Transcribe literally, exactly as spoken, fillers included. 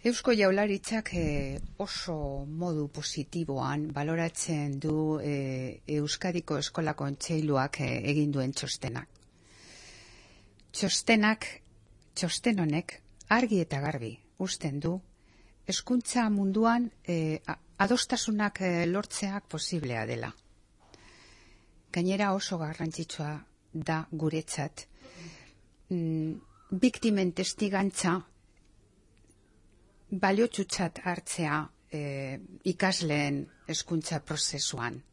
Eusko Jaurlaritzak eh, oso modu positiboan baloratzen du eh, Euskadiko Eskola Kontseiluak eh, egin duen txostenak. Txostenak, txosten honek argi eta garbi uzten du hezkuntza munduan eh, adostasunak eh, lortzeak posiblea dela. Gainera oso garrantzitsua da guretzat mm, biktimen testigantza baliotsutzat hartzea eh, ikasleen hezkuntza prozesuan.